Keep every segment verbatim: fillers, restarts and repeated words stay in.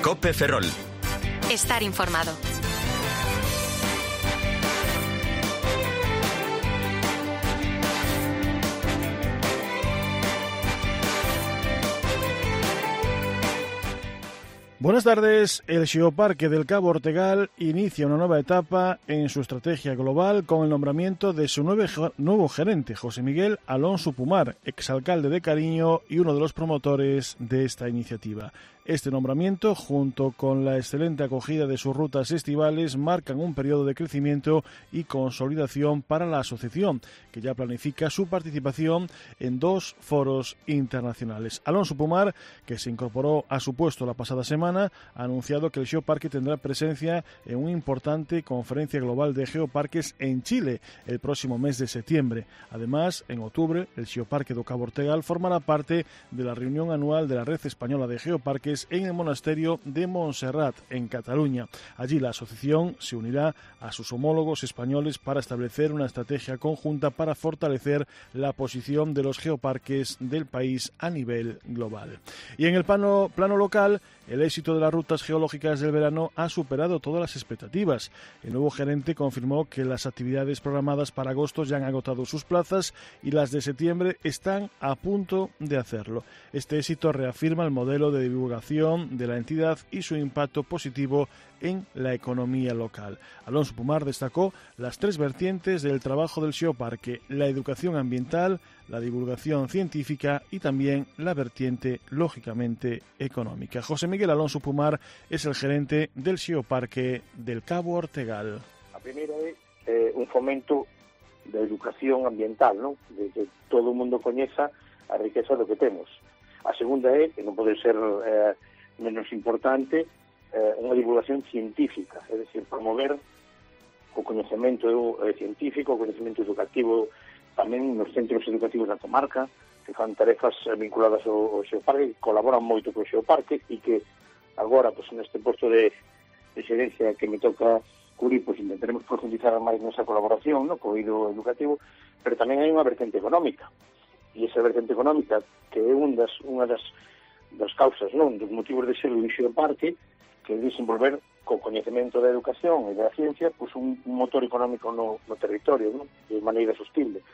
COPE Ferrol. Estar informado. Buenas tardes. El Xeoparque del Cabo Ortegal inicia una nueva etapa en su estrategia global con el nombramiento de su nuevo gerente, José Miguel Alonso Pumar, exalcalde de Cariño y uno de los promotores de esta iniciativa. Este nombramiento, junto con la excelente acogida de sus rutas estivales, marcan un periodo de crecimiento y consolidación para la asociación, que ya planifica su participación en dos foros internacionales. Alonso Pumar, que se incorporó a su puesto la pasada semana, ha anunciado que el Xeoparque tendrá presencia en una importante conferencia global de geoparques en Chile el próximo mes de septiembre. Además, en octubre, el Xeoparque do Cabo Ortegal formará parte de la reunión anual de la Red Española de Geoparques en el monasterio de Montserrat, en Cataluña. Allí la asociación se unirá a sus homólogos españoles para establecer una estrategia conjunta para fortalecer la posición de los geoparques del país a nivel global. Y en el plano, plano local, el éxito de las rutas geológicas del verano ha superado todas las expectativas. El nuevo gerente confirmó que las actividades programadas para agosto ya han agotado sus plazas y las de septiembre están a punto de hacerlo. Este éxito reafirma el modelo de divulgación de la entidad y su impacto positivo en la economía local. Alonso Pumar destacó las tres vertientes del trabajo del Xeoparque: la educación ambiental, la divulgación científica y también la vertiente, lógicamente, económica. José Miguel Alonso Pumar es el gerente del Xeoparque del Cabo Ortegal. A primeira é eh, un fomento da educación ambiental, non? De que todo o mundo coñeza a riqueza do que temos. A segunda é, que non pode ser eh, menos importante, eh, unha divulgación científica, é dicir, promover o coñecemento eh, científico, o coñecemento educativo tamén nos centros educativos da comarca, que fan tarefas vinculadas ao, ao Xeoparque, que colaboran moito co Xeoparque e que agora, pois, neste posto de, de xerencia que me toca cubrir, pois intentaremos profundizar máis nesa colaboración, no, co eido educativo, pero tamén hai unha vertente económica. E esa vertente económica, que é un das, unha das, das causas, non, dos motivos de ser un Xeoparque, que é desenvolver co coñecemento da educación e da ciencia, pois un, un motor económico no, no territorio, non, de maneira sostible.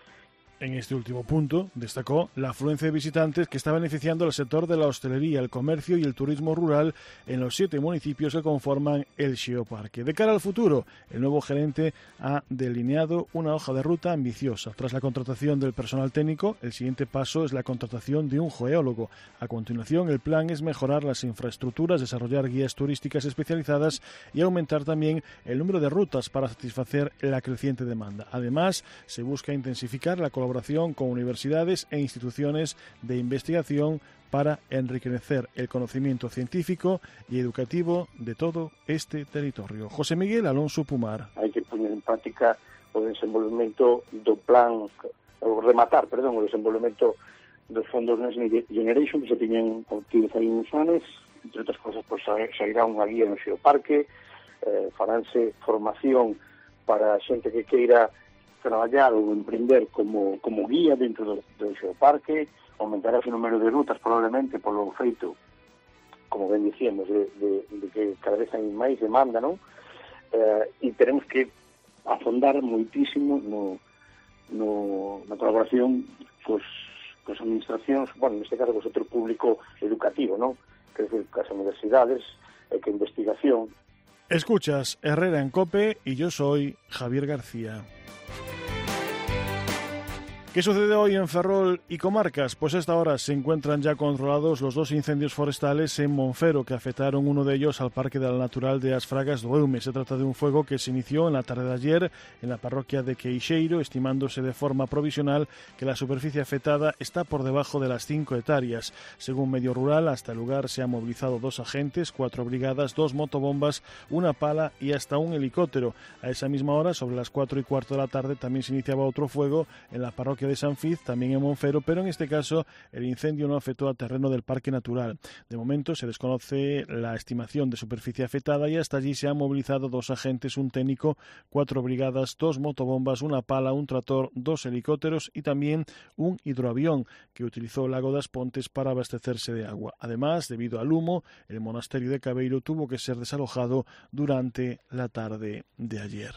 En este último punto, destacó la afluencia de visitantes que está beneficiando al sector de la hostelería, el comercio y el turismo rural en los siete municipios que conforman el Xeoparque. De cara al futuro, el nuevo gerente ha delineado una hoja de ruta ambiciosa. Tras la contratación del personal técnico, el siguiente paso es la contratación de un geólogo. A continuación, el plan es mejorar las infraestructuras, desarrollar guías turísticas especializadas y aumentar también el número de rutas para satisfacer la creciente demanda. Además, se busca intensificar la colaboración con universidades e instituciones de investigación para enriquecer el conocimiento científico y educativo de todo este territorio. José Miguel Alonso Pumar. Hai que poner en práctica o desenvolvemento do plan, o rematar, perdón, o desenvolvemento dos fondos Next Generation que se tiñen obtidos aí uns anos, entre outras cosas, pois, sairá unha guía no Xeoparque, eh, faránse formación para a xente que queira traballar ou emprender como, como guía dentro do, do Xeoparque, aumentará o número de rutas probablemente polo feito, como ben dicíamos, de, de, de que cada vez hai máis demanda, non? Eh, e teremos que afondar moitísimo no, no, na colaboración cos, cos administracións, bueno, neste caso co sector público educativo, non? Que é cas universidades, e que investigación. Escuchas Herrera en COPE y yo soy Javier García. ¿Qué sucede hoy en Ferrol y comarcas? Pues a esta hora se encuentran ya controlados los dos incendios forestales en Monfero que afectaron uno de ellos al Parque de la Natural de As Fragas do Eume. Se trata de un fuego que se inició en la tarde de ayer en la parroquia de Queixeiro, estimándose de forma provisional que la superficie afectada está por debajo de las cinco hectáreas. Según Medio Rural, hasta el lugar se han movilizado dos agentes, cuatro brigadas, dos motobombas, una pala y hasta un helicóptero. A esa misma hora, sobre las cuatro y cuarto de la tarde, también se iniciaba otro fuego en la parroquia parque de San Fiz, también en Monfero, pero en este caso el incendio no afectó al terreno del parque natural. De momento se desconoce la estimación de superficie afectada y hasta allí se han movilizado dos agentes, un técnico, cuatro brigadas, dos motobombas, una pala, un tractor, dos helicópteros y también un hidroavión que utilizó el lago das Pontes para abastecerse de agua. Además, debido al humo, el monasterio de Cabeiro tuvo que ser desalojado durante la tarde de ayer.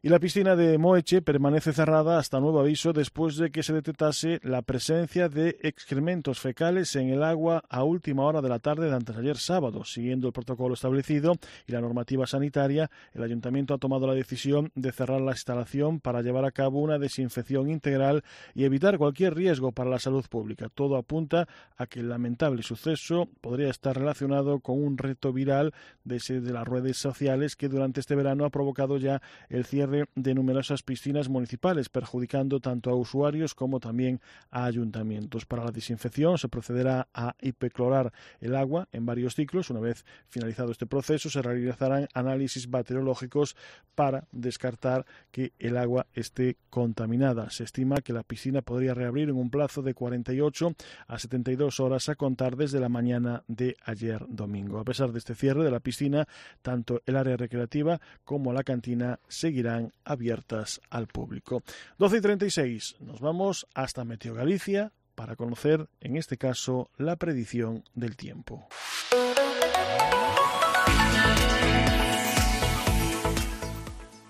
Y la piscina de Moeche permanece cerrada hasta nuevo aviso después de que se detectase la presencia de excrementos fecales en el agua a última hora de la tarde de antes de ayer sábado. Siguiendo el protocolo establecido y la normativa sanitaria, el ayuntamiento ha tomado la decisión de cerrar la instalación para llevar a cabo una desinfección integral y evitar cualquier riesgo para la salud pública. Todo apunta a que el lamentable suceso podría estar relacionado con un reto viral de, ese de las redes sociales que durante este verano ha provocado ya el cierre de numerosas piscinas municipales, perjudicando tanto a usuarios como también a ayuntamientos. Para la desinfección se procederá a hipoclorar el agua en varios ciclos. Una vez finalizado este proceso, se realizarán análisis bacteriológicos para descartar que el agua esté contaminada. Se estima que la piscina podría reabrir en un plazo de cuarenta y ocho a setenta y dos horas a contar desde la mañana de ayer domingo. A pesar de este cierre de la piscina, tanto el área recreativa como la cantina seguirán abiertas al público. doce y treinta y seis, nos vamos hasta Meteo Galicia para conocer, en este caso, la predicción del tiempo.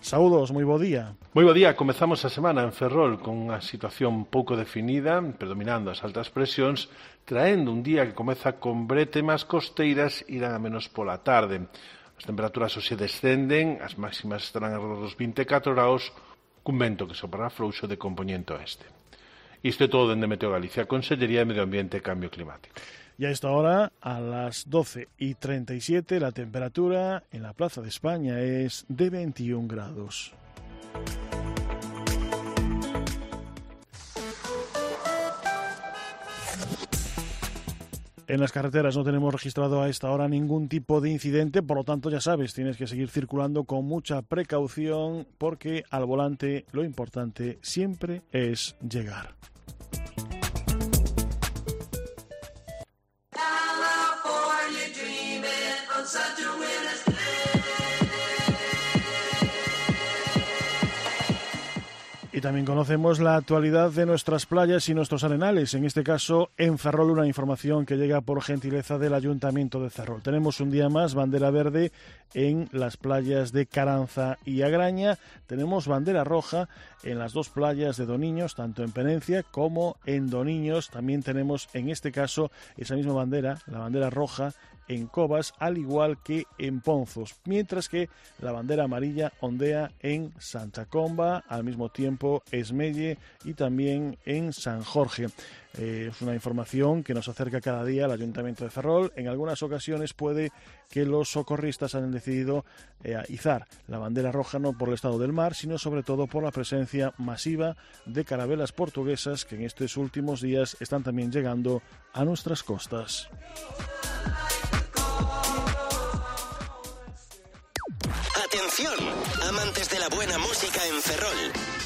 Saúdos, moi bo día. Moi bo día, comezamos a semana en Ferrol con unha situación pouco definida, predominando as altas presións, traendo un día que comeza con brétemas costeiras irán a menos pola tarde. As temperaturas hoxe descenden, as máximas estarán alrededor dos vinte e catro graus, cun vento que soprará frouxo de compoñente oeste. Isto é todo dende Meteo Galicia, Consellería de Medio Ambiente e Cambio Climático. Y a esta hora, a las doce y treinta y siete, la temperatura en la Plaza de España es de veintiún grados. En las carreteras no tenemos registrado a esta hora ningún tipo de incidente, por lo tanto ya sabes, tienes que seguir circulando con mucha precaución porque al volante lo importante siempre es llegar. Y también conocemos la actualidad de nuestras playas y nuestros arenales, en este caso en Ferrol, una información que llega por gentileza del Ayuntamiento de Ferrol. Tenemos un día más bandera verde en las playas de Caranza y Agraña, tenemos bandera roja en las dos playas de Doniños, tanto en Penencia como en Doniños. También tenemos en este caso esa misma bandera, la bandera roja, en Cobas, al igual que en Ponzos, mientras que la bandera amarilla ondea en Santa Comba, al mismo tiempo Esmelle y también en San Jorge. Eh, es una información que nos acerca cada día al Ayuntamiento de Ferrol. En algunas ocasiones puede que los socorristas hayan decidido eh, izar la bandera roja no por el estado del mar, sino sobre todo por la presencia masiva de carabelas portuguesas que en estos últimos días están también llegando a nuestras costas. Atención, amantes de la buena música en Ferrol.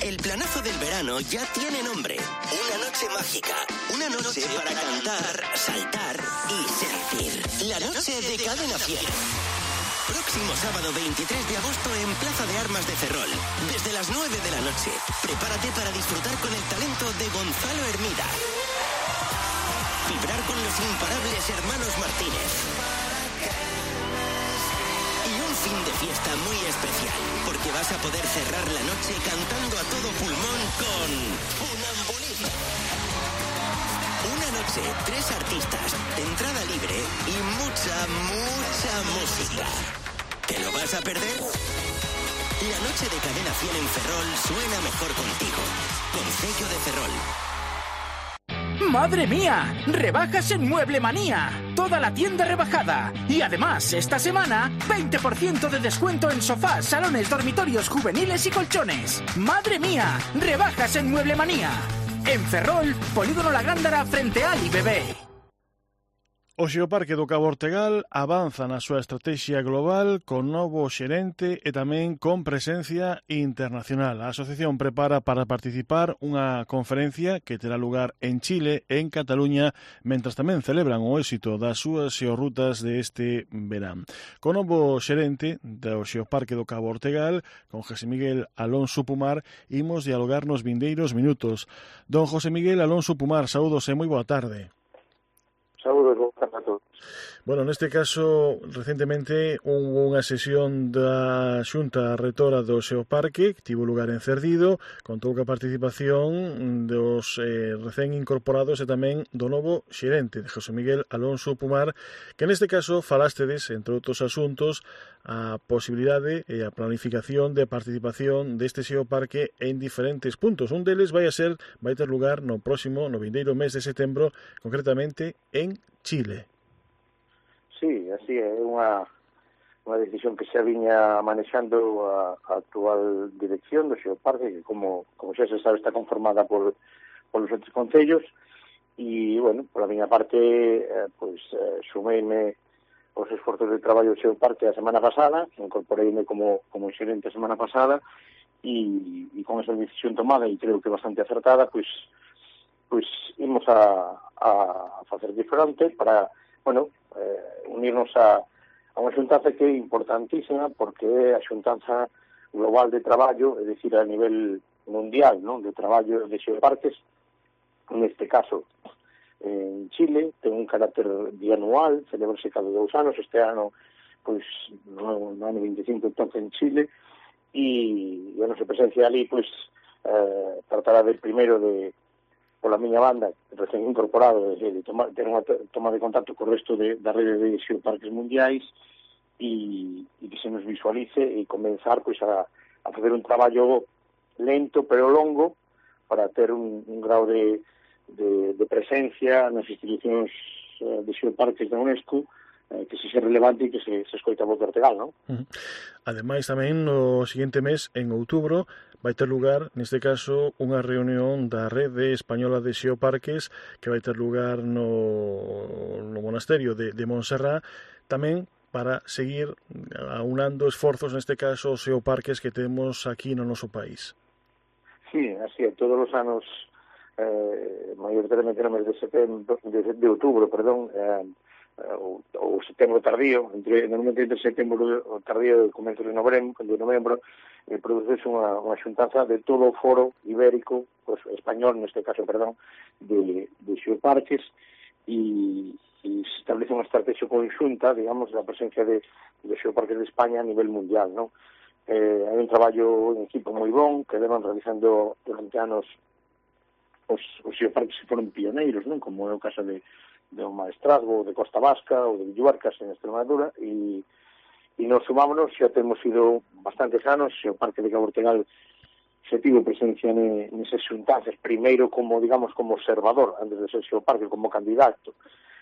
El planazo del verano ya tiene nombre. Una noche mágica. Una noche para cantar, saltar y sentir. La noche de Cadena Fiel. Próximo sábado veintitrés de agosto en Plaza de Armas de Ferrol. Desde las nueve de la noche. Prepárate para disfrutar con el talento de Gonzalo Hermida. Vibrar con los imparables hermanos Martínez. Fin de fiesta muy especial, porque vas a poder cerrar la noche cantando a todo pulmón con Funambulista. Una noche, tres artistas, entrada libre y mucha, mucha música. ¿Te lo vas a perder? La noche de Cadena Fiel en Ferrol suena mejor contigo. Concello de Ferrol. ¡Madre mía! ¡Rebajas en Mueble Manía! Toda la tienda rebajada. Y además, esta semana, veinte por ciento de descuento en sofás, salones, dormitorios juveniles y colchones. ¡Madre mía! ¡Rebajas en Mueble Manía! En Ferrol, Polígono La Gándara frente a Ali Bebé. O Xeoparque do Cabo Ortegal avanza na súa estrategia global con novo xerente e tamén con presencia internacional. A asociación prepara para participar unha conferencia que terá lugar en Chile, en Cataluña, mentras tamén celebran o éxito das súas xeorrutas de este verán. Con novo xerente do Xeoparque do Cabo Ortegal, con José Miguel Alonso Pumar, imos dialogar nos vindeiros minutos. Don José Miguel Alonso Pumar, saúdos e moi boa tarde. Saúdos, boa tarde a todos. Bueno, neste caso, recentemente hubo unha sesión da Xunta Retora do Xeoparque que tivo lugar en Cerdido, contou ca participación dos eh, recén incorporados e tamén do novo xerente, de José Miguel Alonso Pumar, que neste caso falástedes, entre outros asuntos, a posibilidade e a planificación de participación deste Xeoparque en diferentes puntos. Un deles vai a ser, vai ter lugar no próximo, no vindeiro mes de setembro, concretamente en Chile. Sí, así é unha, unha decisión que xa viña manexando a, a actual dirección do Xeoparque, que como, como xa se sabe está conformada por, por os outros concellos, e, bueno, por a miña parte, eh, pois, eh, sumeime os esforzos de traballo do Xeoparque a semana pasada, incorporeime como, como xerente a semana pasada, e, e con esa decisión tomada, e creo que bastante acertada, pois, pois imos a, a facer de fronte para, bueno, eh, unirnos a, a unha xuntanza que é importantísima porque é a xuntanza global de traballo, é dicir, a nivel mundial, non, de traballo de xeoparques, neste caso en Chile, ten un carácter bianual, celebrase cada dous anos, este ano, pois, no, no ano veinticinco toca en Chile, e, e a nosa presencia ali, pois, eh, tratará de primeiro de pola miña banda, recén incorporado, de, de tomar, ter unha toma de contacto co resto de, da rede de xeoparques mundiais e, e que se nos visualice e comenzar pois, a, a fazer un traballo lento pero longo para ter un, un grau de, de, de presencia nas institucións eh, de xeoparques da UNESCO eh, que se xe relevante e que se, se escoita a voz de Ortegal, non? Uh-huh. Ademais, tamén, no seguinte mes, en outubro, vai ter lugar, neste caso, unha reunión da Rede Española de Xeoparques que vai ter lugar no, no monasterio de, de Montserrat, tamén para seguir aunando esforzos, neste caso, os xeoparques que temos aquí no noso país. Sí, así é, todos os anos, eh, maioritariamente no mes de setembro, de, de outubro, perdón, eh, ou, ou setembro tardío, entre, normalmente entre setembro tardío e comezo de novembro, de novembro eh, produce unha, unha xuntanza de todo o foro ibérico, pues, español, neste caso, perdón, de, de xeoparques, e, e se establece unha estrategia conxunta, digamos, da presencia de, de xeoparques de España a nivel mundial, non? Eh, hai un traballo en equipo moi bon, que levan realizando durante anos os, os xeoparques que foron pioneiros, non? Como é o caso de de un Maestrazgo, de Costa Vasca ou de Villuarcas en Extremadura, e, e nos sumámonos, xa temos ido bastantes anos, o Parque de Cabo Ortegal se tivo presencia ne, nesas xuntanzas, primeiro como, digamos, como observador, antes de ser xeoparque, como candidato,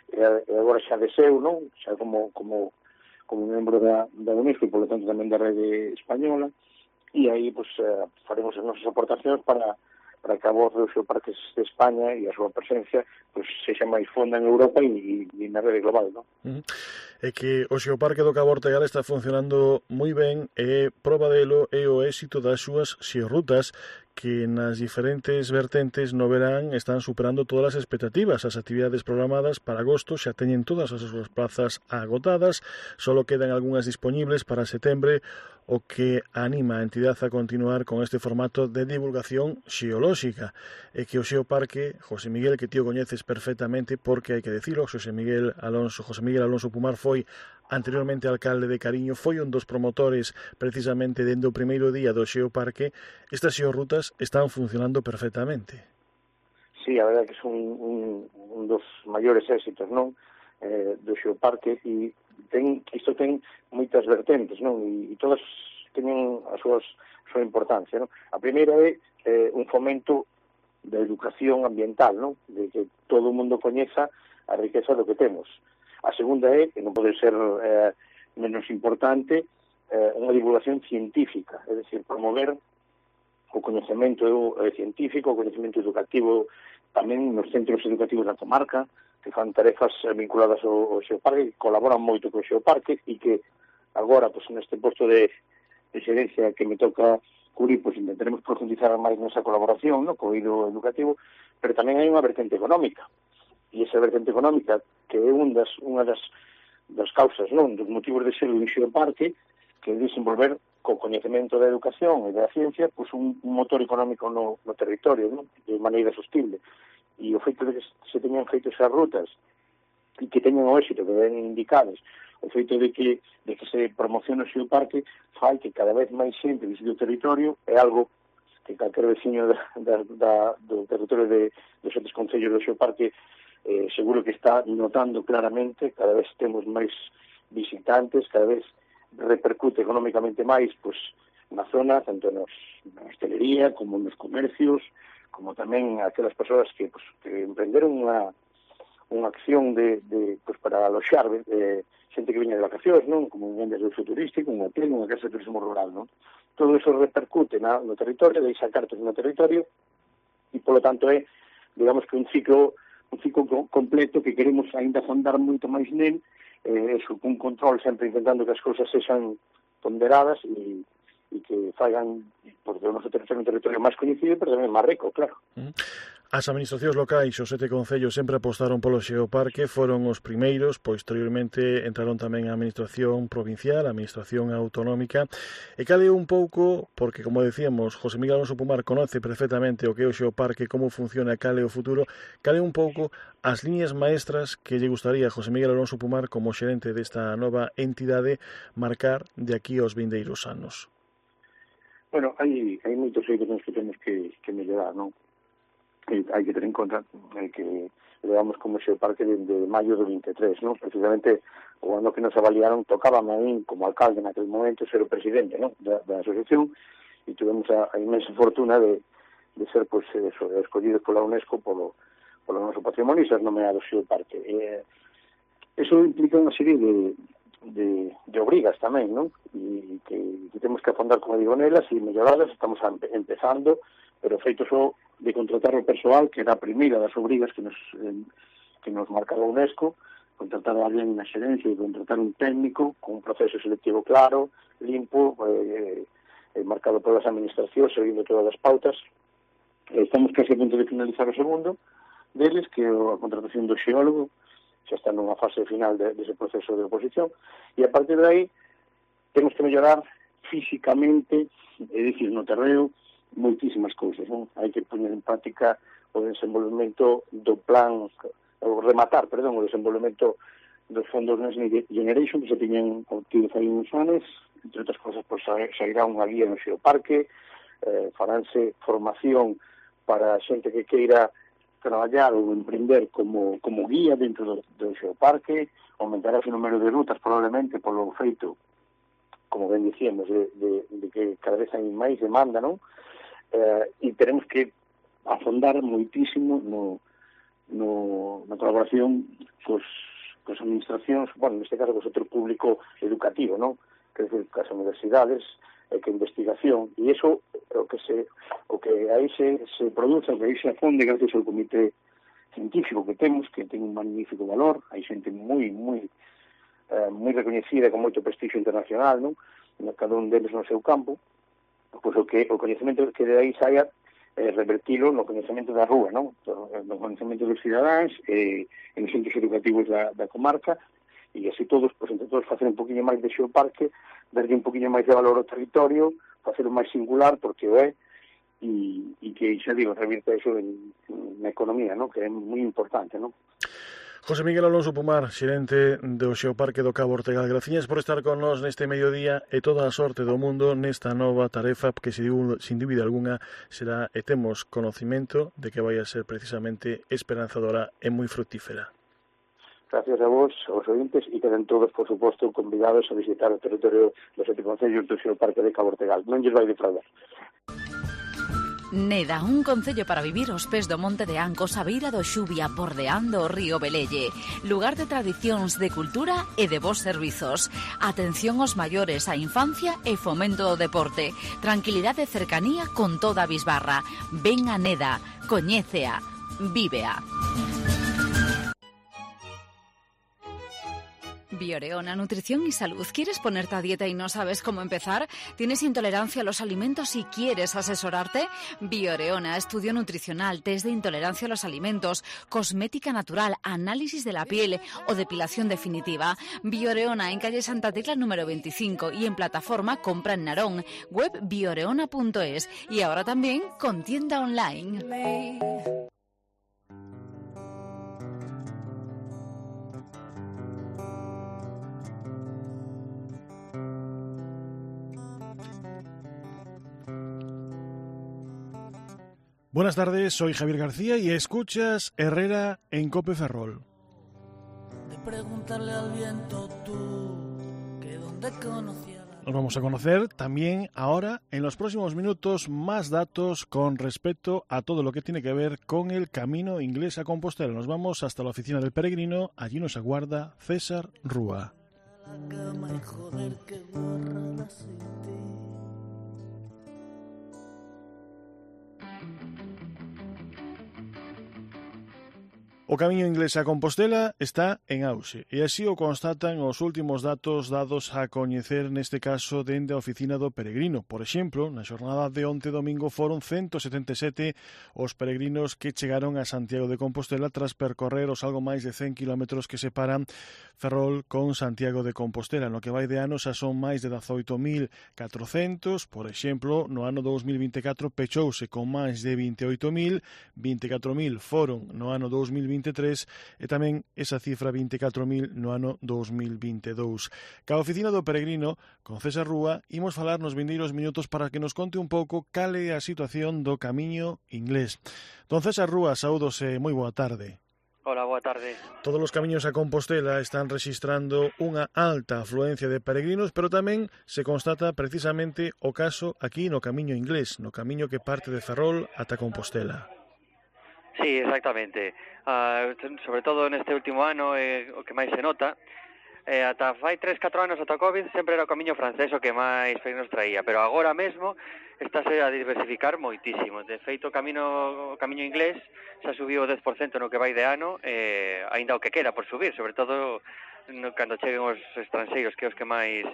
e, e agora xa deseu, non? Xa como, como, como membro da, da UNESCO e, por lo tanto, tamén da Rede Española, e aí, pues, eh, faremos as nosas aportacións para para que a voz dos xeoparques de España e a súa presencia pues, sexa máis fonda en Europa e, e na rede global, non? Uh-huh. É que o Xeoparque do Cabo Ortegal está funcionando moi ben e proba delo é o éxito das súas xeorrutas que nas diferentes vertentes no verán están superando todas as expectativas. As actividades programadas para agosto xa teñen todas as súas plazas agotadas, solo quedan algunhas disponibles para setembro, o que anima a entidade a continuar con este formato de divulgación xeolóxica. E que o Xeoparque, José Miguel, que ti o coñeces perfectamente, porque hai que decirlo, José Miguel Alonso, José Miguel Alonso Pumar foi anteriormente alcalde de Cariño, foi un dos promotores precisamente dende o primeiro día do Xeoparque. Estas xeorrutas están funcionando perfectamente. Sí, a verdade que son un, un dos maiores éxitos, non? Eh, do Xeoparque, e ten, isto ten moitas vertentes, non? E, e todas teñen a súa, a súa importancia, non? A primeira é eh, un fomento da educación ambiental, non? De que todo o mundo coñeza a riqueza do que temos. A segunda é, que non pode ser eh, menos importante, eh, unha divulgación científica, é dicir, promover o coñecemento eh, científico, o coñecemento educativo tamén nos centros educativos da comarca, que fan tarefas vinculadas ao, ao xeoparque, que colaboran moito co xeoparque e que agora, pois, neste posto de, de xerencia que me toca cubrir, pois intentaremos profundizar máis nesa colaboración, no, co eido educativo, pero tamén hai unha vertente económica. E esa vertente económica, que é un das, unha das, das causas, non, dos motivos de ser un xeoparque, que é desenvolver co coñecemento da educación e da ciencia, pois un, un motor económico no, no territorio, non, de maneira sostible. E o feito de que se teñan feito esas rutas e que teñan o éxito que ven indicados, o feito de que, de que se promocione o xeoparque fai que cada vez máis xente visite o territorio, é algo que calquer veciño da, da, da, do territorio de, dos outros concellos do xeoparque eh, seguro que está notando claramente. Cada vez temos máis visitantes, cada vez repercute económicamente máis pois, na zona, tanto nos, na hostelería como nos comercios, como tamén aquelas persoas que, pues, que emprenderon unha, unha acción de, de, pues, para aloxar eh, xente que viña de vacacións, non? Como un vendas de uso turístico, un hotel, unha casa de turismo rural, non? Todo eso repercute na, no territorio, deixa cartas no territorio, e, polo tanto, é, digamos que un ciclo un ciclo completo que queremos ainda fondar moito máis nel, eh, eso, un control sempre intentando que as cousas sexan ponderadas e e que faigan, porque o noso territorio é un territorio máis coñecido, pero tamén máis rico, claro. As administracións locais, os sete concellos, sempre apostaron polo xeoparque, foron os primeiros, posteriormente entraron tamén a administración provincial, a administración autonómica, e cale un pouco, porque, como decíamos, José Miguel Alonso Pumar conoce perfectamente o que é o xeoparque, como funciona, cale o futuro, cale un pouco as líneas maestras que lle gustaría a José Miguel Alonso Pumar, como xerente desta nova entidade, marcar de aquí aos vindeiros anos. Bueno, hai, hai moitos eidos nos que temos que, que mellorar, non? E hai que ter en conta eh, que levamos como xeoparque desde maio do vinte e tres, non? Precisamente o ano que nos avaliaron tocábame a mí como alcalde naquele momento ser o presidente, non? Da, da asociación, e tivemos a, a inmensa fortuna de, de ser, pois, eso, escollidos pola UNESCO polo, polo noso patrimonio e ser nomeados xeoparque. Eh, eso implica unha serie de De, de obrigas tamén, non? E que, que temos que afondar, como digo, nelas e melloradas. Estamos empezando, pero feito só de contratar o persoal, que era a primeira das obrigas que nos, eh, que nos marcaba a UNESCO, contratar a alguén na xerencia e contratar un técnico con un proceso selectivo claro, limpo, eh, eh, marcado polas administracións, seguindo todas as pautas. Eh, estamos casi a punto de finalizar o segundo deles, que é a contratación do xeólogo, xa está nunha fase final de, dese proceso de oposición, e a partir de aí temos que mellorar físicamente, é dicir, no terreo, moitísimas cousas, non? Hai que poñer en práctica o desenvolvemento do plan, o rematar, perdón, o desenvolvemento dos fondos Next Generation que se tiñen obtido fai uns anos, entre outras cousas, pois, sairá unha guía no xeoparque, eh, faránse formación para xente que queira traballar ou emprender como, como guía dentro do, do xeoparque, aumentará o número de rutas probablemente polo feito, como ben dicíamos, de, de, de que cada vez hai máis demanda, non? Eh, e teremos que afondar moitísimo no, no, na colaboración cos, cos administracións, bueno, neste caso co sector público educativo, non? Que é dicir, cas universidades, e que investigación, e iso o que se o que aí se, se produce, o que aí se afonde gracias ao comité científico que temos, que ten un magnífico valor, hai xente moi, moi eh, moi recoñecida, con moito prestigio internacional, non? Cada un deles no seu campo, pois o que o coñecemento que de aí saia eh, revertilo no coñecemento da rúa, non? No coñecemento dos cidadáns e eh, nos centros educativos da, da comarca, e así todos, pois entre todos, facer un poquinho máis de xeoparque, darlle un poquinho máis de valor ao territorio, facelo máis singular, porque o é, e, e que, xa digo, revirta eso en, na economía, ¿no? Que é moi importante, ¿no? José Miguel Alonso Pumar, xerente do Xeoparque do Cabo Ortegal, graciñas por estar con nós neste mediodía e toda a sorte do mundo nesta nova tarefa que, sin dúbida alguna, será, e temos conocimento de que vai a ser precisamente esperanzadora e moi fructífera. Gracias a vos, aos ointes, e queden todos, por suposto, convidados a visitar o territorio dos sete concellos do Xeoparque de Cabo Ortegal. Non lles vai defraudar. Neda, un concello para vivir aos pés do Monte de Ancos, a beira do Xubia, bordeando o río Velelle. Lugar de tradicións, de cultura e de bons servizos. Atención aos maiores, a infancia e fomento do deporte. Tranquilidade e cercanía con toda a bisbarra. Ven a Neda, coñécea, vívea. Bioreona, nutrición y salud. ¿Quieres ponerte a dieta y no sabes cómo empezar? ¿Tienes intolerancia a los alimentos y quieres asesorarte? Bioreona, estudio nutricional, test de intolerancia a los alimentos, cosmética natural, análisis de la piel o depilación definitiva. Bioreona en calle Santa Tecla número veinticinco y en plataforma Compra en Narón, web bioreona punto es y ahora también con tienda online. Buenas tardes, soy Javier García y escuchas Herrera en Cope Ferrol. De preguntarle al viento tú que dónde conocía la... Nos vamos a conocer también ahora, en los próximos minutos, más datos con respecto a todo lo que tiene que ver con el camino inglés a Compostela. Nos vamos hasta la oficina del peregrino, allí nos aguarda César Rúa. La cama y joder que guarrada sin ti. O camiño inglés a Compostela está en auxe e así o constatan os últimos datos dados a coñecer neste caso dende a oficina do peregrino. Por exemplo, na xornada de onte domingo foron ciento setenta e sete os peregrinos que chegaron a Santiago de Compostela tras percorrer os algo máis de cen kilómetros que separan Ferrol con Santiago de Compostela. No que vai de ano xa son máis de dezoito mil catrocentos, por exemplo, no ano dous mil vinte e catro pechouse con máis de vinte e oito mil, vinte e catro mil foron no ano dous mil vinte e tres e tamén esa cifra vinte e catro mil no ano dous mil vinte e dous. Ca oficina do peregrino, con César Rúa, imos falar nos vindeiros minutos para que nos conte un pouco cal é a situación do camiño inglés. Don César Rúa, saúdos e moi boa tarde. Hola, boa tarde. Todos os camiños a Compostela están rexistrando unha alta afluencia de peregrinos, pero tamén se constata precisamente o caso aquí no camiño inglés, no camiño que parte de Ferrol ata Compostela. Sí, exactamente. Uh, sobre todo neste último ano, eh, o que máis se nota, eh, ata fai tres, catro anos ata COVID sempre era o camiño francés o que máis peregrinos traía, pero agora mesmo estáse a diversificar moitísimo. De feito, o camiño, o camiño inglés xa subiu o dez por cento no que vai de ano, eh, aínda o que quera por subir, sobre todo no, cando cheguen os estranxeiros, que é os que máis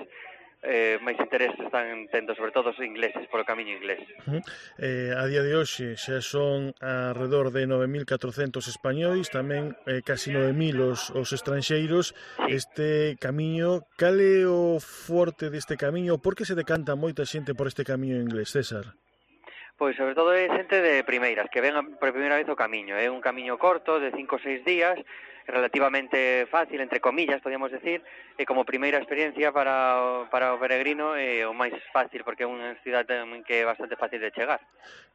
eh, máis interés están tendo, sobre todo os ingleses, polo camiño inglés. Uh-huh. Eh, a día de hoxe xa son alrededor de nove mil catrocentos españois, tamén eh, casi nove mil os, os estranxeiros. Sí. Este camiño, cal é o forte deste camiño? Por que se decanta moita xente por este camiño inglés, César? Pois sobre todo é xente de primeiras, que ven por primeira vez o camiño. É un camiño corto, de cinco ou seis días, relativamente fácil, entre comillas, podíamos decir, e como primeira experiencia para, para o peregrino é o máis fácil, porque é unha cidade que é bastante fácil de chegar.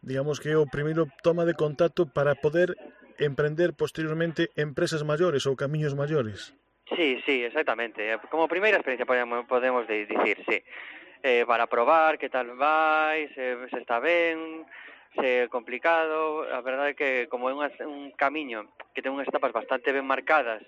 Digamos que é o primeiro toma de contacto para poder emprender posteriormente empresas maiores ou camiños maiores. Sí, sí, exactamente. Como primeira experiencia podemos, podemos dicir, sí. Eh, para probar que tal vai, se, se está ben, se é complicado. A verdade é que como é unha, un camiño que ten unhas etapas bastante ben marcadas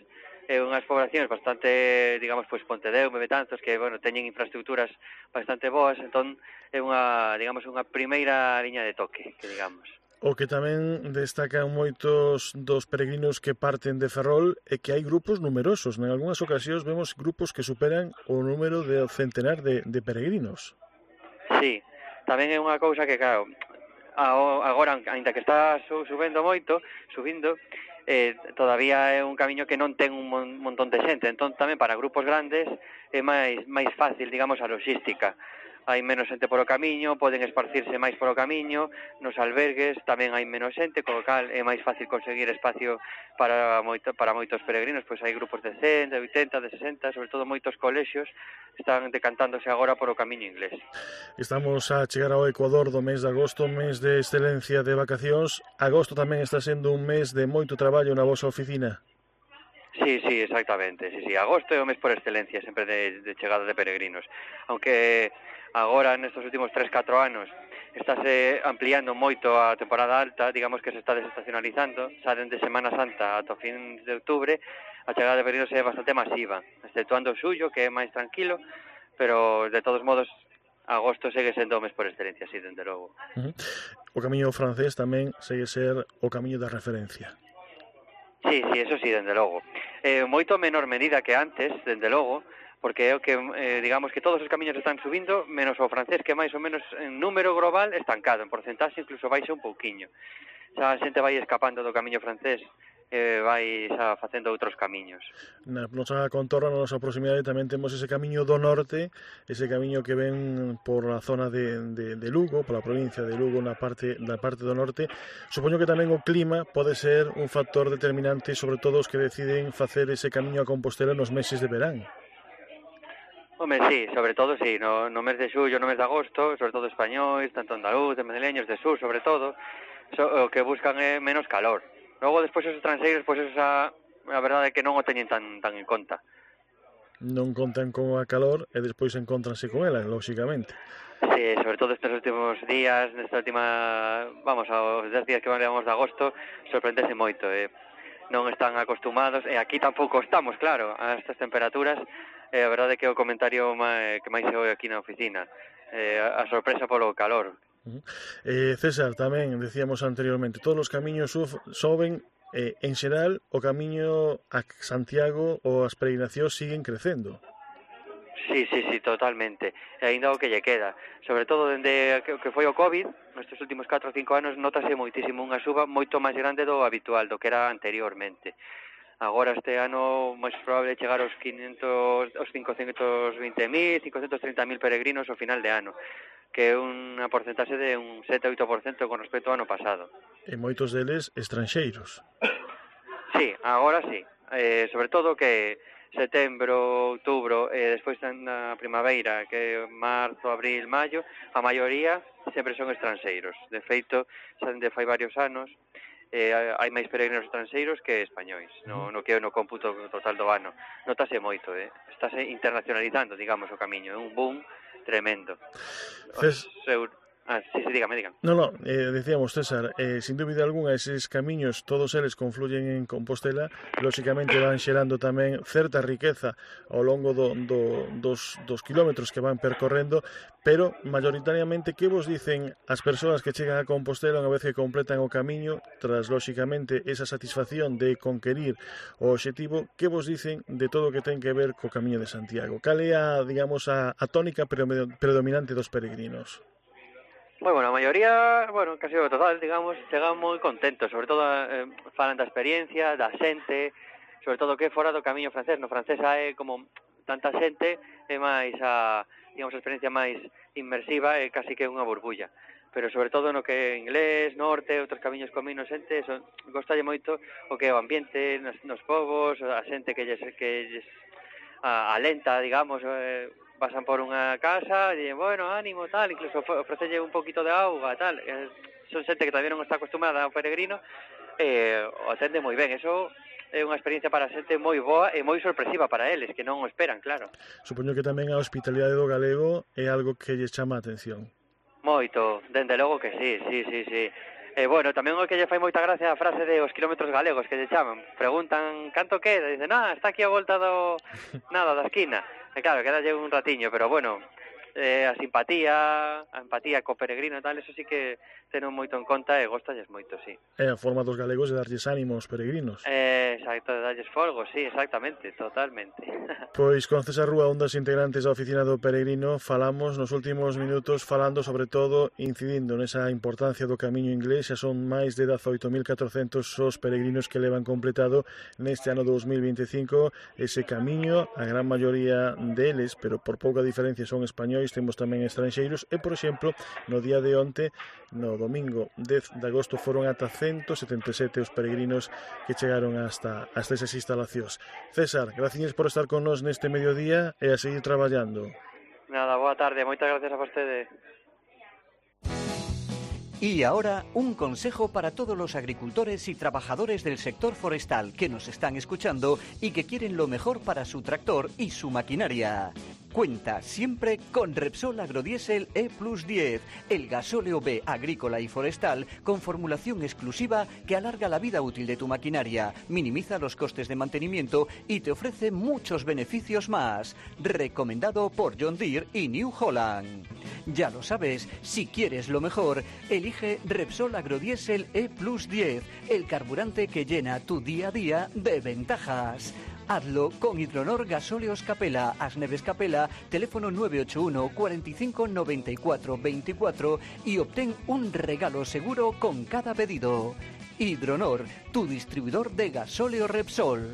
e unhas poblacións bastante, digamos, pois Pontedeume, Betanzos, que, bueno, teñen infraestructuras bastante boas, entón é unha, digamos, unha primeira liña de toque, que digamos. O que tamén destacan moitos dos peregrinos que parten de Ferrol é que hai grupos numerosos. En algunhas ocasións vemos grupos que superan o número de centenar de, de peregrinos. Sí, tamén é unha cousa que, claro, agora, ainda que está subendo moito, subindo, eh, todavía é un camiño que non ten un montón de xente. Entón, tamén para grupos grandes é máis, máis fácil, digamos, a logística. Hai menos xente polo camiño, poden esparcirse máis polo camiño, nos albergues tamén hai menos xente, co cal é máis fácil conseguir espacio para moito, para moitos peregrinos, pois hai grupos de cen, de oitenta, de sesenta, sobre todo moitos colexios están decantándose agora polo camiño inglés. Estamos a chegar ao Ecuador do mes de agosto, mes de excelencia de vacacións. Agosto tamén está sendo un mes de moito traballo na vosa oficina. Sí, sí, exactamente. Sí, sí. Agosto é o mes por excelencia sempre de, de chegada de peregrinos. Aunque agora, nestes últimos tres, catro anos, estáse ampliando moito a temporada alta, digamos que se está desestacionalizando, xa dende Semana Santa ata o fin de outubro, a chegada de peregrinos é bastante masiva, exceptuando o suyo, que é máis tranquilo, pero de todos modos agosto segue sendo o mes por excelencia, sí, dende logo. Uh-huh. O camiño francés tamén segue ser o camiño da referencia. Sí, sí, eso sí, dende logo. Eh, moito menor medida que antes, dende logo, porque é o que, eh, digamos que todos os camiños están subindo, menos o francés, que máis ou menos en número global estancado, en porcentaxe incluso baixa un pouquiño. Xa a xente vai escapando do camiño francés, e vai xa facendo outros camiños. Na nosa contorna, na nosa proximidade, tamén temos ese camiño do norte, ese camiño que ven por a zona de, de, de Lugo, pola provincia de Lugo, na parte, na parte do norte. Supoño que tamén o clima pode ser un factor determinante, sobre todo os que deciden facer ese camiño a Compostela nos meses de verán. Home, sí, sobre todo, sí, no, no mes de xullo, no mes de agosto, sobre todo españois, tanto andaluz, madrileños, de sur, sobre todo, so, o que buscan é menos calor. Logo, despois, os estrangeiros, pois, pues, esa, a verdade é que non o teñen tan, tan en conta. Non contan con a calor e despois encontranse con ela, lóxicamente. Sí, sobre todo estes últimos días, nesta última, vamos, aos dez días que levamos de agosto, sorprendese moito, eh. Non están acostumados, e aquí tampouco estamos, claro, a estas temperaturas, e a verdade é que o comentario máis, que máis se oi aquí na oficina, eh, a sorpresa polo calor. Eh, César, tamén decíamos anteriormente, todos os camiños soben, eh, en xeral o camiño a Santiago ou as peregrinacións siguen crecendo. Sí, sí, sí, totalmente. E ainda o que lle queda, sobre todo dende que, que foi o COVID, nestes últimos catro ou cinco anos notase moitísimo unha suba moito máis grande do habitual, do que era anteriormente. Agora este ano máis probable chegar aos quinhentos, aos cincocentos vinte mil, cincocentos trinta mil peregrinos ao final de ano, que é unha porcentaxe de un sete a oito por cento con respecto ao ano pasado. E moitos deles estranxeiros. Sí, agora sí. Eh, sobre todo que setembro, outubro e despois na primavera, que é marzo, abril, maio, a maioría sempre son estranxeiros. De feito, xa dende fai varios anos, eh, hai máis peregrinos estranxeiros que españois, no, no que é no cómputo total do ano. Notase moito, eh? Estáse internacionalizando, digamos, o camiño, é un boom tremendo. Ces... Os... Ah, sí, sí, dígame, dígame. No, no, eh, decíamos, César, eh, sin dúbida alguna, eses camiños, todos eles confluyen en Compostela, lóxicamente van xerando tamén certa riqueza ao longo do, do, dos, dos kilómetros que van percorrendo, pero, mayoritariamente, que vos dicen as persoas que chegan a Compostela unha vez que completan o camiño, tras, lóxicamente, esa satisfacción de conquerir o obxectivo, que vos dicen de todo o que ten que ver co Camiño de Santiago? Cal é a, digamos, a, a tónica predominante dos peregrinos? Moi bueno, a maioría, bueno, casi o total, digamos, chegan moi contentos, sobre todo eh, falan da experiencia, da xente, sobre todo que fora do camiño francés. No francés hai como tanta xente, é máis a, digamos, a experiencia máis inmersiva e casi que unha burbulla. Pero sobre todo no que é inglés, norte, outros camiños con menos xente, son, gostalle moito o que é o ambiente nos, nos povos, a xente que lles, que lles a, alenta, digamos, eh, pasan por unha casa e dicen, bueno, ánimo, tal, incluso ofrecelle un poquito de auga, tal. Eh, son xente que todavía non está acostumada ao peregrino e eh, o atende moi ben. Eso é unha experiencia para a xente moi boa e moi sorpresiva para eles, que non o esperan, claro. Supoño que tamén a hospitalidade do galego é algo que lle chama a atención. Moito, dende logo que sí, sí, sí, sí. E, eh, bueno, tamén o que lle fai moita gracia a frase de os kilómetros galegos que lle chaman. Preguntan, canto queda? Dicen, ah, está aquí a volta do... nada, da esquina. E claro, quedalle un ratiño, pero bueno, eh, a simpatía, a empatía co peregrino e tal, eso sí que teno moito en conta e gostalles moito, sí. É a forma dos galegos de darlles ánimo aos peregrinos. Eh, exacto, de darlles folgo, sí, exactamente, totalmente. Pois con César Rúa, un dos integrantes da oficina do peregrino, falamos nos últimos minutos falando sobre todo, incidindo nesa importancia do camiño inglés. Xa son máis de dezaoito mil catrocentos os peregrinos que levan completado neste ano dos mil veinticinco ese camiño, a gran maioría deles, pero por pouca diferencia son españois, temos tamén estranxeiros e, por exemplo, no día de onte, no domingo dez de agosto, foron ata ciento setenta e sete os peregrinos que chegaron hasta, hasta esas instalacións. César, gracias por estar con nos neste mediodía e a seguir traballando. Nada, boa tarde, moitas gracias a vostede. Y ahora, un consejo para todos los agricultores y trabajadores del sector forestal que nos están escuchando y que quieren lo mejor para su tractor y su maquinaria. Cuenta siempre con Repsol Agrodiesel E plus diez, el gasóleo B agrícola y forestal con formulación exclusiva que alarga la vida útil de tu maquinaria, minimiza los costes de mantenimiento y te ofrece muchos beneficios más. Recomendado por John Deere y New Holland. Ya lo sabes, si quieres lo mejor, elige Repsol Agrodiesel E plus diez, el carburante que llena tu día a día de ventajas. Hazlo con Hidronor Gasóleos Capela, Asneves Capela, teléfono nueve ocho uno, cuarenta y cinco, noventa y cuatro, veinticuatro y obtén un regalo seguro con cada pedido. Hidronor, tu distribuidor de gasóleo Repsol.